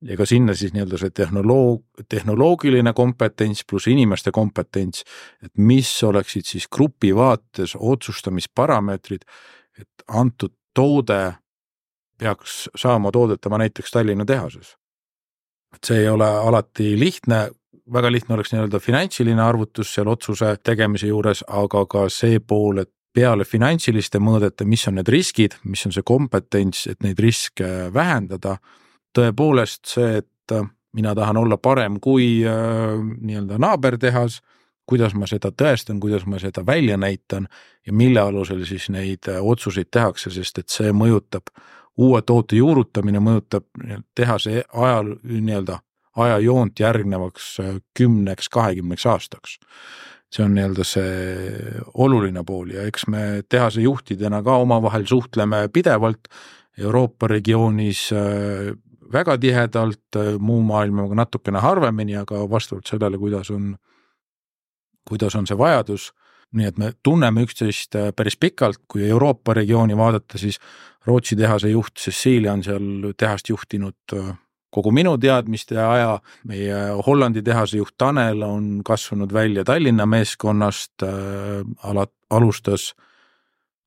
ja ka sinna siis nii-öelda see tehnoloog, tehnoloogiline kompetents pluss inimeste kompetents, et mis oleksid siis grupi vaates otsustamisparameetrid, et antud toode peaks saama toodetama näiteks Tallinna tehases. Et see ei ole alati lihtne, väga lihtne oleks nii-öelda finantsiline arvutus seal otsuse tegemise juures, aga ka see pool, et peale finantsiliste mõõdete, mis on need riskid, mis on see kompetents, et neid riske vähendada, tõepoolest see, et mina tahan olla parem kui äh, nii-öelda naabertehas, kuidas ma seda tõestan, kuidas ma seda välja näitan ja mille alusel siis neid otsuseid tehakse, sest et see mõjutab, uue toote juurutamine mõjutab tehase ajal nii-öelda ajajoont järgnevaks kümneks, kahekümneks aastaks. See on nii-öelda see oluline pool ja eks me tehase juhtidena ka omavahel suhtleme pidevalt Euroopa regioonis väga tihedalt, muu maailmaga natukene harvemini, aga vastavalt sellele, kuidas on, kuidas on see vajadus. Nii et me tunneme üksteist päris pikalt, kui Euroopa regiooni vaadata, siis Rootsi tehase juht Cecilia on seal tehast juhtinud kogu minu teadmiste aja, meie Hollandi tehase juht Tanel on kasvanud välja Tallinna meeskonnast, alat, alustas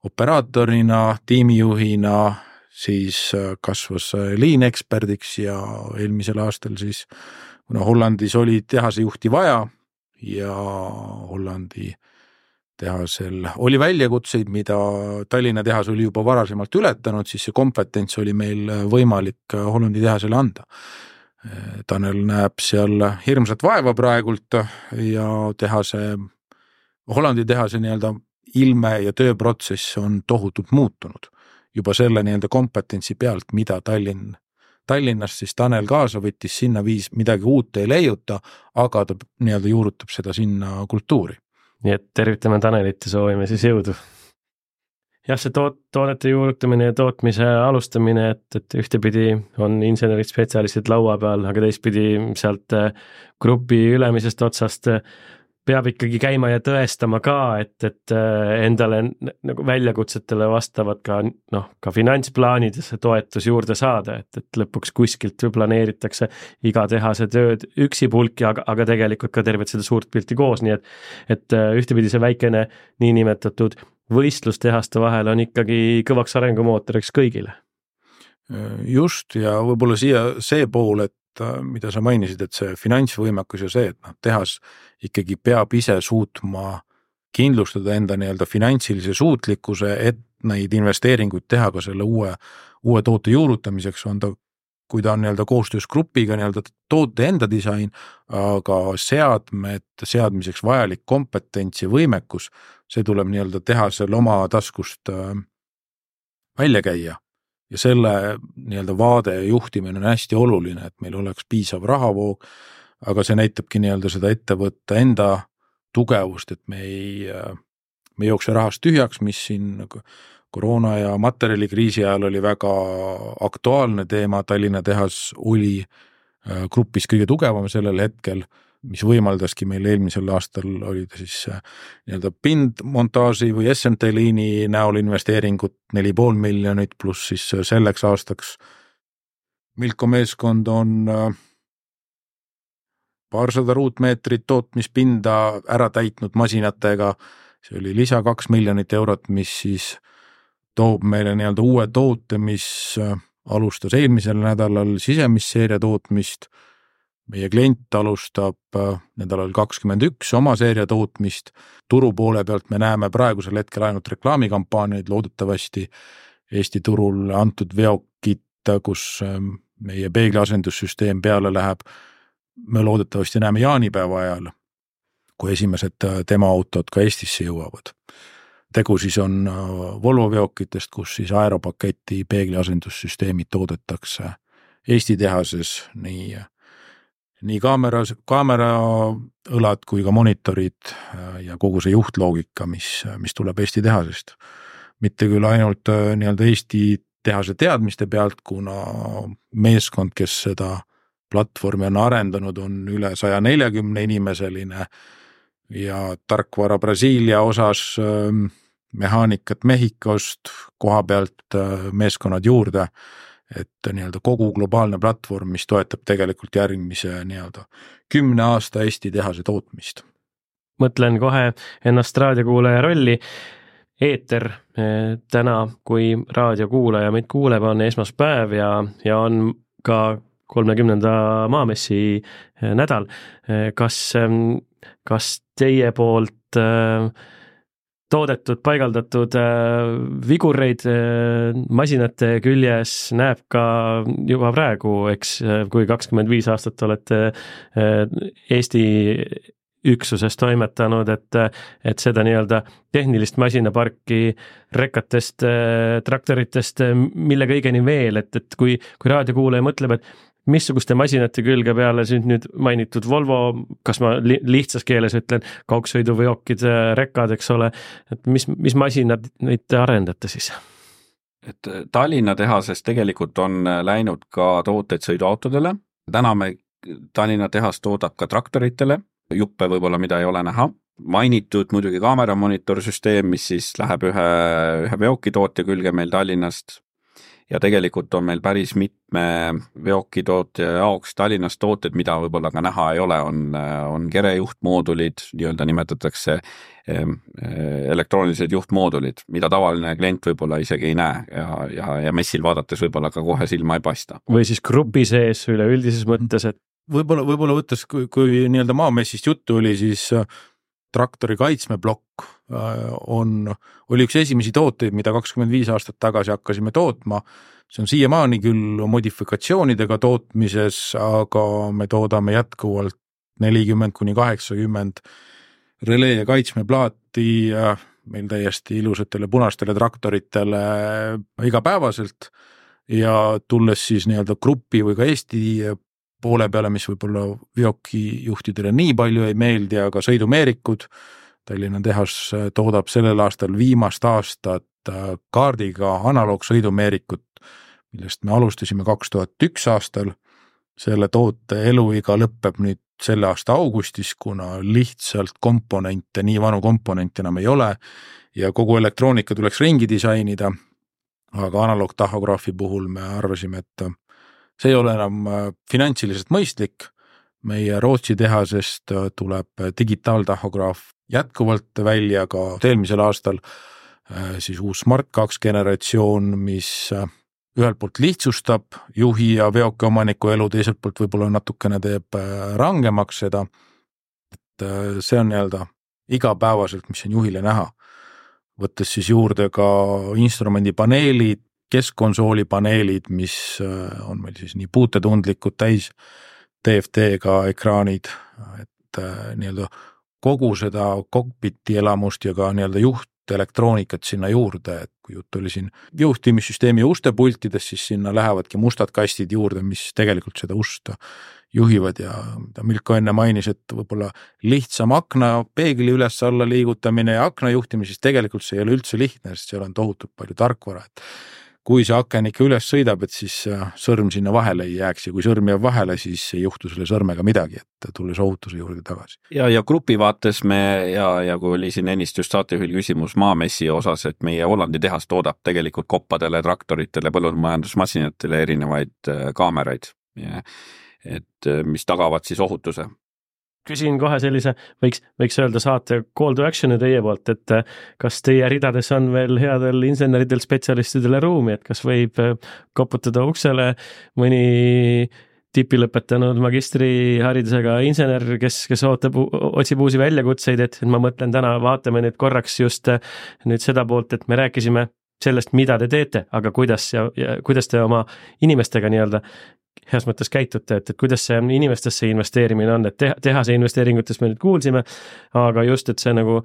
operaatorina, tiimijuhina, siis kasvas liineksperdiks ja eelmisel aastal siis, kuna Hollandis oli tehase juhti vaja ja Hollandi tehasel oli väljakutseid, mida Tallinna tehas oli juba varasemalt ületanud, siis see kompetents oli meil võimalik Hollandi tehasele anda. Tanel näeb seal hirmsat vaeva praegult ja tehase, Hollandi tehase nii-öelda ilme ja tööprotsess on tohutult muutunud. Juba selle nii-öelda kompetentsi pealt, mida Tallinn, Tallinnast siis Tanel kaasa võttis, sinna viis midagi uut ei leiuta, aga ta nii-öelda juurutab seda sinna kultuuri. Nii et tervitame Tanelit ja soovime siis jõudu. Jah, see toot, toodete juurutamine ja tootmise alustamine, et, et ühtepidi on insenerid spetsialistid laua peal, aga teistpidi sealt grupi ülemisest otsast peab ikkagi käima ja tõestama ka, et, et endale nagu väljakutsetele vastavad ka, noh, ka finantsplaanidesse toetus juurde saada, et, et lõpuks kuskilt planeeritakse iga tehase tööd üksipulki, aga, aga tegelikult ka tervet seda suurt pilti koos, nii et, et ühtepidi see väikene niinimetatud võistlustehaste vahel on ikkagi kõvaks arengumootoriks kõigile. Just ja võib-olla siia see pool, et mida sa mainisid, et see finantsvõimekus ja see, et noh, tehas ikkagi peab ise suutma kindlustada enda nii-öelda finantsilise suutlikkuse, et neid investeeringuid teha ka selle uue, uue toote juurutamiseks, on ta, kui ta on nii-öelda koostöös grupiga nii-öelda toote enda disain, aga seadmed, seadmiseks vajalik kompetents ja võimekus, see tuleb nii-öelda tehasel oma taskust välja käia. Ja selle nii-öelda vaade ja juhtimine on hästi oluline, et meil oleks piisav rahavoog, aga see näitabki nii-öelda seda ettevõtte enda tugevust, et me ei, me ei jookse rahast tühjaks, mis siin koroona ja materjalikriisi ajal oli väga aktuaalne teema, Tallinna tehas oli grupis kõige tugevam sellel hetkel, mis võimaldaski meil eelmisel aastal oli ta siis nii-öelda pindmontaaži või S M T-liini näol investeeringut neli pool miljonit pluss siis selleks aastaks Milko meeskond on paarsada ruutmeetrit tootmispinda ära täitnud masinatega, see oli lisa kaks miljonit eurot, mis siis toob meile nii-öelda uue toote, mis alustas eelmisel nädalal sisemisseeria tootmist. Meie klient alustab nädalal kakskümmend üks oma seeria tootmist. Turu poole pealt me näeme praegusel hetkel ainult reklaamikampaaniaid, loodetavasti Eesti turul antud veokit, kus meie peegliasendussüsteem peale läheb. Me loodetavasti näeme jaanipäeva ajal, kui esimesed tema autod ka Eestisse jõuavad. Tegu siis on Volvo veokitest, kus siis aeropaketi peegliasendussüsteemid toodetakse Eesti tehases, nii nii kaamera, kaamera õlad kui ka monitorid ja kogu see juhtloogika, mis, mis tuleb Eesti tehasest. Mitte küll ainult nii-öelda Eesti tehase teadmiste pealt, kuna meeskond, kes seda platvormi on arendanud, on üle saja neljakümne inimeseline, ja tarkvara Brasiilia osas mehaanikat Mehhikost, koha pealt meeskonnad juurde, et nii-öelda kogu globaalne platvorm, mis toetab tegelikult järgmise nii-öelda kümne aasta Eesti tehase tootmist. Mõtlen kohe ennast raadiokuulaja rolli. Eeter täna, kui raadiokuulaja meid kuuleb, on esmaspäev ja, ja on ka kolmekümnenda maamessi nädal. Kas, kas teie poolt toodetud, paigaldatud vigureid masinate küljes näeb ka juba praegu, eks kui kakskümmend viis aastat olete Eesti üksuses toimetanud, et, et seda nii-öelda tehnilist masinaparki rekatest, traktoritest, mille kõigeni veel, et, et kui, kui raadiokuulaja mõtleb, et missuguste masinate külge peale siin nüüd mainitud Volvo, kas ma li- lihtsas keeles ütlen, kaugsõiduveokid, rekad, eks ole, et mis, mis masinad neid te arendate siis? Et Tallinna tehases tegelikult on läinud ka tooteid sõiduautodele. Täna me Tallinna tehas toodab ka traktoritele, juppe võib-olla, mida ei ole näha. Mainitud muidugi kaameramonitorsüsteem, mis siis läheb ühe, ühe veokitootja külge meil Tallinnast. Ja tegelikult on meil päris mitme veokitootja jaoks Tallinnas tooted, mida võib-olla ka näha ei ole, on, on kerejuhtmoodulid, nii-öelda nimetatakse elektroonilised juhtmoodulid, mida tavaline klient võib-olla isegi ei näe ja, ja, ja messil vaadates võib-olla ka kohe silma ei paista. Või siis grupi sees üle üldises mõttes, et Võib-olla, võib-olla võttes, kui, kui nii-öelda maamessist juttu oli, siis traktori kaitsmeblokk on, oli üks esimesi tooteid, mida kakskümmend viis aastat tagasi hakkasime tootma. See on siiamaani küll modifikatsioonidega tootmises, aga me toodame jätkuvalt nelikümmend kuni kaheksakümmend relee ja kaitsmeplaati meil täiesti ilusatele punastele traktoritele igapäevaselt ja tulles siis nii-öelda grupi või ka Eesti poole peale, mis võib-olla veokijuhtidele nii palju ei meeldi, aga sõidumeerikud. Tallinna tehas toodab sellel aastal viimast aastat kaardiga analoogsõidumeerikut, millest me alustasime kaks tuhat üks aastal. Selle toote eluiga lõpeb nüüd selle aasta augustis, kuna lihtsalt komponente, nii vanu komponente enam ei ole ja kogu elektroonika tuleks ringi disainida, aga analoogtahograafi puhul me arvasime, et see ei ole enam finantsiliselt mõistlik. Meie Rootsi tehasest tuleb digitaaltahograaf jätkuvalt välja ka eelmisel aastal siis uus Smart kaks generatsioon, mis ühelt poolt lihtsustab juhi ja veoki omaniku elu, teiselt poolt võib-olla natukene teeb rangemaks seda. Et see on nii-öelda igapäevaselt, mis on juhile näha. Võttes siis juurde ka instrumendipaneelid, keskkonsooli paneelid, mis on meil siis nii puutetundlikud täis T F T-ga ekraanid, et nii-öelda kogu seda kokpiti elamust ja ka nii-öelda juht elektroonikat sinna juurde, et kui jutt oli siin juhtimissüsteemi ustepultides, siis sinna lähevadki mustad kastid juurde, mis tegelikult seda usta juhivad ja mida Milko enne mainis, et võib-olla lihtsam akna peegli üles alla liigutamine ja akna juhtimine, siis tegelikult see ei ole üldse lihtne, sest seal on tohutult palju tarkvara, et kui see aken ikka üles sõidab, et siis sõrm sinna vahele ei jääks ja kui sõrm jääb vahele, siis ei juhtu selle sõrmega midagi, et tulles ohutuse juurde tagasi. Ja, ja grupi vaates me ja, ja kui oli siin ennist just saatejuhil küsimus maamessi osas, et meie Hollandi tehas toodab tegelikult koppadele, traktoritele, põllumajandusmasinatele erinevaid kaameraid, et mis tagavad siis ohutuse. Küsin kohe sellise, võiks, võiks öelda saate call to action'i teie poolt, et kas teie ridades on veel headel inseneridel, spetsialistidele ruumi, et kas võib koputada uksele mõni tipi lõpetanud magistriharidusega insener, kes, kes ootab, otsib uusi väljakutseid, et ma mõtlen täna, vaatame nüüd korraks just nüüd seda poolt, et me rääkisime sellest, mida te teete, aga kuidas, ja, ja, kuidas te oma inimestega nii-öelda heas mõttes käitute, et, et kuidas see inimestesse investeerimine on, et tehase investeeringutes me nüüd kuulsime, aga just, et see nagu,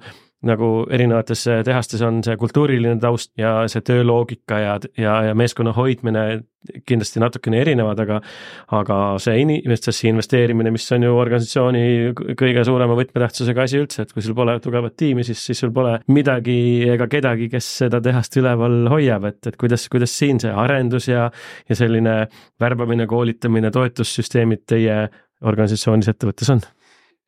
nagu erinevates tehastes on see kultuuriline taust ja see tööloogika ja, ja, ja meeskonna hoidmine kindlasti natukene erinevad, aga, aga see inimestesse investeerimine, mis on ju organisatsiooni kõige suurema võtmetähtsusega asi üldse, et kui sul pole tugevat tiimi, siis, siis sul pole midagi ega kedagi, kes seda tehast üleval hoiab, et, et kuidas, kuidas siin see arendus ja, ja selline värbamine, koolitamine, toetussüsteemid teie organisatsioonis ettevõttes on?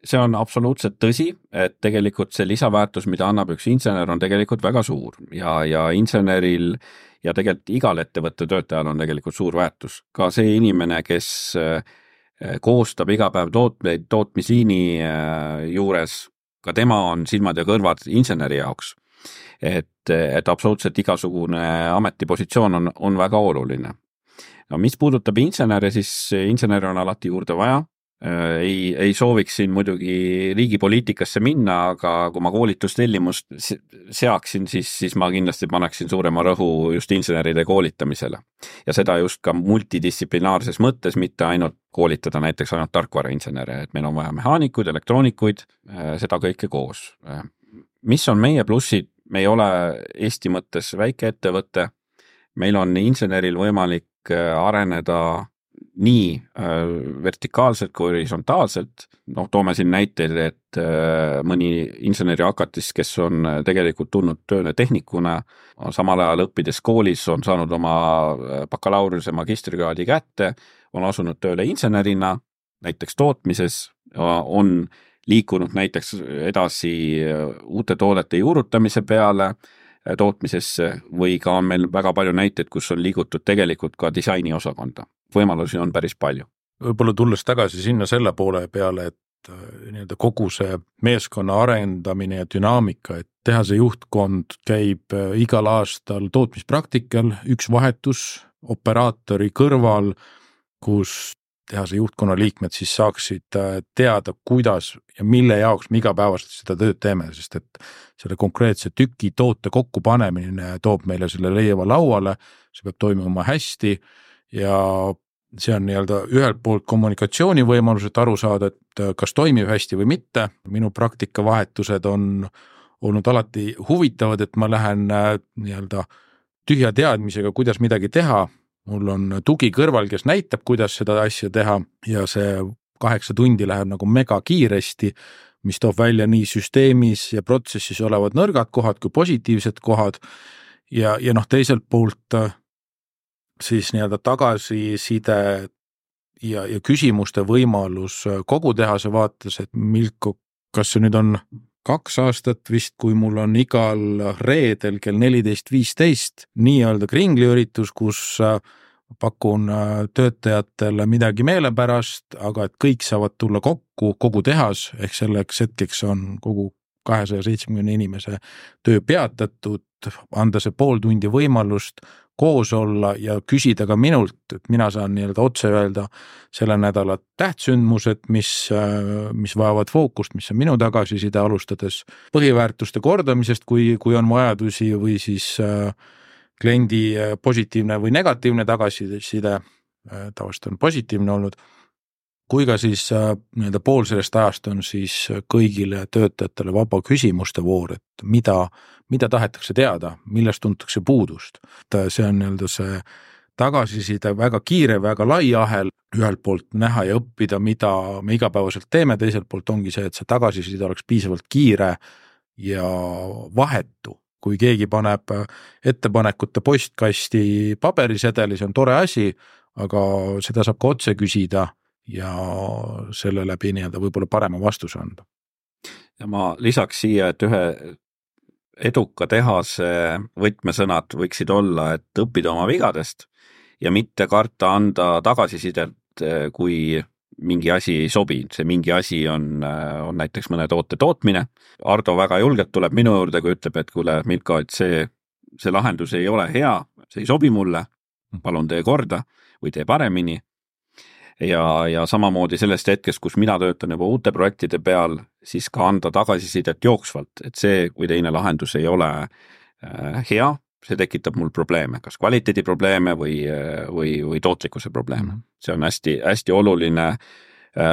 see on absoluutselt tõsi, et tegelikult see lisaväärtus, mida annab üks insener, on tegelikult väga suur ja, ja inseneril ja tegelikult igal ettevõtte töötajal on tegelikult suur väärtus. Ka see inimene, kes koostab iga päev tootmeid tootmisliini juures, ka tema on silmad ja kõrvad inseneri jaoks. Et, et absoluutselt igasugune ametipositsioon on, on väga oluline. No, mis puudutab insenere, siis insenere on alati juurde vaja. Ei, ei sooviks siin muidugi riigi poliitikasse minna, aga kui ma koolitustellimust seaksin, siis, siis ma kindlasti paneksin suurema rõhu just inseneride koolitamisele. Ja seda just ka multidistsiplinaarses mõttes, mitte ainult koolitada näiteks ainult tarkvarainsenere, et meil on vaja mehaanikuid, elektroonikuid, seda kõike koos. Mis on meie plussid? Me ei ole Eesti mõttes väike ettevõte. Meil on inseneril võimalik areneda nii vertikaalselt kui horisontaalselt. No, toome siin näiteid, et mõni inseneri hakatis, kes on tegelikult tulnud tööle tehnikuna, samal ajal õppides koolis on saanud oma bakalaureuse magistrikraadi kätte, on asunud tööle insenerina, näiteks tootmises, on liikunud näiteks edasi uute toodete juurutamise peale tootmisesse või ka on meil väga palju näiteid, kus on liigutud tegelikult ka disaini osakonda. Võimalusi on päris palju. Võib-olla tulles tagasi sinna selle poole peale, et nii-öelda kogu see meeskonna arendamine ja dünaamika, et tehase juhtkond käib igal aastal tootmispraktikal, üks vahetus operaatori kõrval, kus tehase juhtkonna liikmed siis saaksid teada, kuidas ja mille jaoks me igapäevaselt seda tööd teeme, sest et selle konkreetse tüki toote kokkupanemine toob meile selle leiva lauale, see peab toimuma hästi ja see on nii-öelda ühelt poolt kommunikatsiooni võimalus, et aru saada, et kas toimib hästi või mitte. Minu praktikavahetused on olnud alati huvitavad, et ma lähen nii-öelda tühja teadmisega, kuidas midagi teha. Mul on tugi kõrval, kes näitab, kuidas seda asja teha ja see kaheksa tundi läheb nagu mega kiiresti, mis toob välja nii süsteemis ja protsessis olevad nõrgad kohad kui positiivsed kohad ja, ja noh, teiselt poolt siis nii-öelda tagasiside ja, ja küsimuste võimalus kogu tehase vaates, et Milko, kas see nüüd on kaks aastat vist, kui mul on igal reedel kell neliteist viisteist nii-öelda kringliüritus, kus pakun töötajatele midagi meelepärast, aga et kõik saavad tulla kokku, kogu tehas, ehk selleks hetkeks on kogu kahesaja seitsmekümne inimese töö peatatud, anda see pool tundi võimalust koos olla ja küsida ka minult, et mina saan nii-öelda otse öelda selle nädala tähtsündmused, mis, mis vajavad fookust, mis on minu tagasiside alustades põhiväärtuste kordamisest, kui, kui on vajadusi või siis kliendi positiivne või negatiivne tagasiside, tavaliselt on positiivne olnud, kui ka siis nii-öelda pool sellest ajast on siis kõigile töötajatele vaba küsimuste voor, et mida, mida tahetakse teada, millest tuntakse puudust. See on nii-öelda see tagasiside väga kiire, väga lai ahel, ühelt poolt näha ja õppida, mida me igapäevaselt teeme, teiselt poolt ongi see, et see tagasiside oleks piisavalt kiire ja vahetu. Kui keegi paneb ettepanekute postkasti paberisedeli, see on tore asi, aga seda saab ka otse küsida ja selle läbi nii-öelda võib-olla parema vastuse anda. Ja ma lisaks siia, et ühe eduka tehase võtmesõnad võiksid olla, et õppida oma vigadest ja mitte karta anda tagasisidet, kui mingi asi ei sobi. See mingi asi on, on näiteks mõne toote tootmine. Ardo väga julgelt tuleb minu juurde, kui ütleb, et kuule, Milko, et see, see lahendus ei ole hea, see ei sobi mulle, palun tee korda või tee paremini. Ja, ja samamoodi sellest hetkest, kus mina töötan juba uute projektide peal, siis ka anda tagasisidet jooksvalt, et see, kui teine lahendus ei ole hea, see tekitab mul probleeme, kas kvaliteedi probleeme või, või, või tootlikkuse probleeme. See on hästi, hästi oluline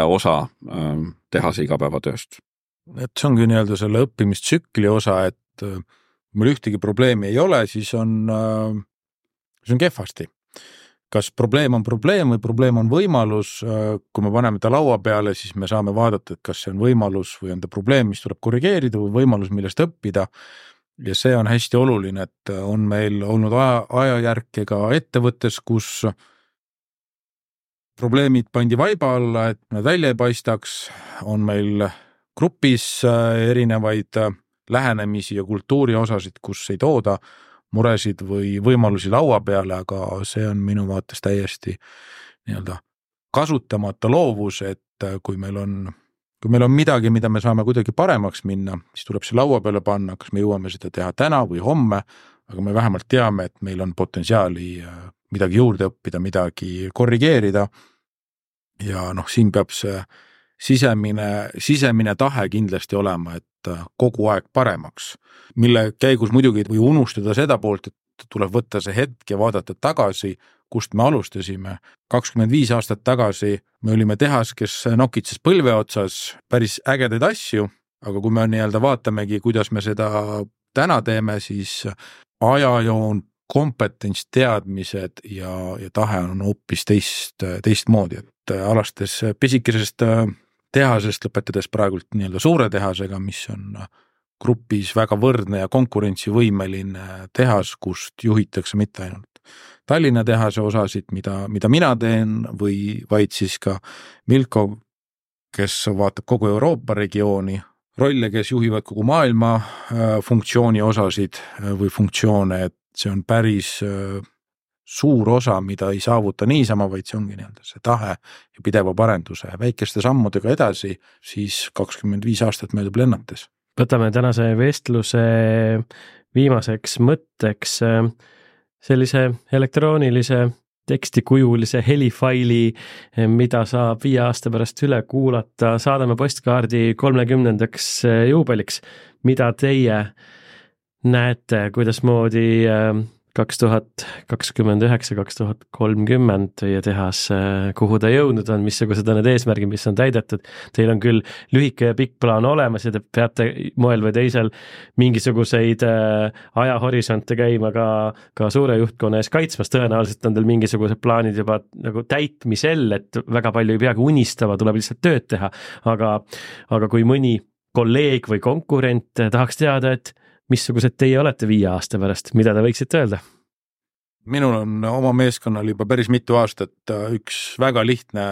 osa tehase igapäevatööst. Et see ongi nii-öelda selle õppimistsükli osa, et mul ühtegi probleemi ei ole, siis on, siis on kehvasti. Kas probleem on probleem või probleem on võimalus, kui me paneme ta laua peale, siis me saame vaadata, et kas see on võimalus või on ta probleem, mis tuleb korrigeerida või võimalus, millest õppida. Ja see on hästi oluline, et on meil olnud aja, ajajärke ka ettevõttes, kus probleemid pandi vaiba alla, et nad välja ei paistaks, on meil grupis erinevaid lähenemisi ja kultuuri osasid, kus ei tooda muresid või võimalusi laua peale, aga see on minu vaates täiesti nii-öelda kasutamata loovus, et kui meil on, kui meil on midagi, mida me saame kuidagi paremaks minna, siis tuleb see laua peale panna, kas me jõuame seda teha täna või homme, aga me vähemalt teame, et meil on potentsiaali midagi juurde õppida, midagi korrigeerida ja noh, siin peab see sisemine, sisemine tahe kindlasti olema, et kogu aeg paremaks, mille käigus muidugi või unustada seda poolt, et tuleb võtta see hetk ja vaadata tagasi, kust me alustasime. kakskümmend viis aastat tagasi me olime tehas, kes nokitses põlve otsas päris ägedaid asju, aga kui me nii-öelda vaatamegi, kuidas me seda täna teeme, siis ajajoon, kompetents, teadmised ja, ja tahe on hoopis teist, teistmoodi, et alastes pisikesest tehasest lõpetades praegult nii-öelda suure tehasega, mis on grupis väga võrdne ja konkurentsivõimeline tehas, kust juhitakse mitte ainult Tallinna tehase osasid, mida, mida mina teen või vaid siis ka Milko, kes vaatab kogu Euroopa regiooni, rolle, kes juhivad kogu maailma funktsiooni osasid või funktsioone, et see on päris suur osa, mida ei saavuta niisama, vaid see ongi nii-öelda see tahe ja pideva parenduse väikeste sammudega edasi, siis kakskümmend viis aastat möödub lennates. Võtame tänase vestluse viimaseks mõtteks sellise elektroonilise tekstikujulise helifaili, mida saab viie aasta pärast üle kuulata, saadame postkaardi kolmekümnendaks juubeliks. Mida teie näete, kuidas moodi kaks tuhat kakskümmend üheksa kaks tuhat kolmkümmend teie tehas, kuhu ta jõudnud on, missugused on need eesmärgid, mis on täidetud. Teil on küll lühike ja pikk plaan olemas ja te peate moel või teisel mingisuguseid ajahorisonte käima ka, ka suure juhtkonna ees kaitsmas. Tõenäoliselt on teil mingisugused plaanid juba nagu täitmisel, et väga palju ei peagi unistama, tuleb lihtsalt tööd teha. Aga, aga kui mõni kolleeg või konkurent tahaks teada, et missugused teie olete viie aasta pärast, mida te võiksite öelda? Minul on oma meeskonnal juba päris mitu aastat üks väga lihtne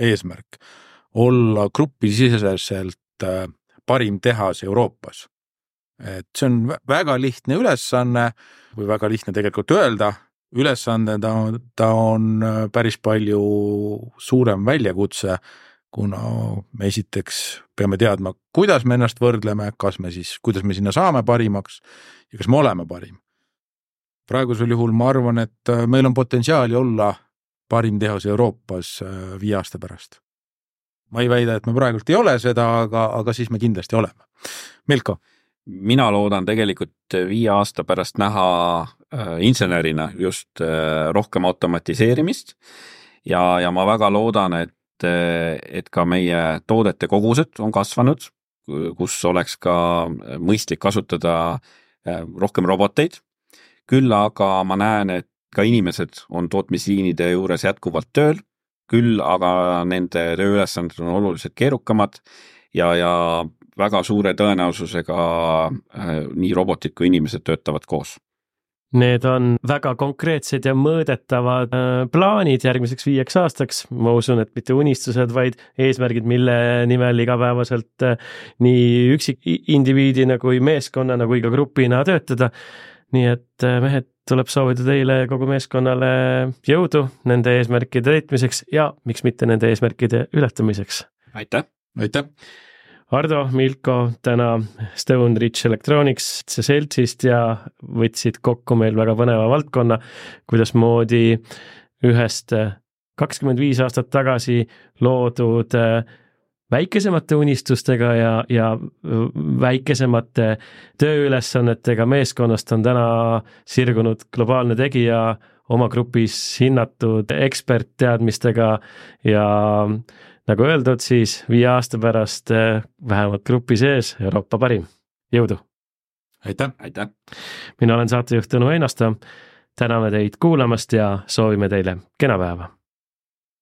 eesmärk. Olla grupisiseselt parim tehas Euroopas. Et see on väga lihtne ülesanne või väga lihtne tegelikult öelda. Ülesanne ta, ta on päris palju suurem väljakutse, kuna me esiteks peame teadma, kuidas me ennast võrdleme, kas me siis, kuidas me sinna saame parimaks ja kas me oleme parim. Praegusel juhul ma arvan, et meil on potentsiaali olla parim tehas Euroopas viie aasta pärast. Ma ei väida, et me praegult ei ole seda, aga, aga siis me kindlasti oleme. Milko? Mina loodan tegelikult viie aasta pärast näha insenerina just rohkem automatiseerimist ja, ja ma väga loodan, et et ka meie toodete kogused on kasvanud, kus oleks ka mõistlik kasutada rohkem roboteid. Küll aga ma näen, et ka inimesed on tootmisliinide juures jätkuvalt tööl, küll aga nende tööülesanded on oluliselt keerukamad ja, ja väga suure tõenäosusega nii robotid kui inimesed töötavad koos. Need on väga konkreetsed ja mõõdetavad plaanid järgmiseks viieks aastaks. Ma usun, et mitte unistused, vaid eesmärgid, mille nimel igapäevaselt nii üksik indiviidina kui meeskonnana kui ka grupina töötada. Nii et mehed, tuleb soovida teile kogu meeskonnale jõudu nende eesmärkide täitmiseks ja miks mitte nende eesmärkide ületamiseks. Aitäh! Aitäh! Ardo, Milko, täna Stone Ridge Electronics seltsist ja võtsid kokku meil väga põneva valdkonna, kuidas moodi ühest kakskümmend viis aastat tagasi loodud väikesemate unistustega ja, ja väikesemate tööülesannetega meeskonnast on täna sirgunud globaalne tegija oma grupis hinnatud ekspertteadmistega ja nagu öeldud, siis viie aasta pärast vähemalt grupi sees Euroopa parim. Jõudu! Aitäh! Aitäh! Mina olen saatejuht Tõnu Einasto. Täname teid kuulamast ja soovime teile kena päeva!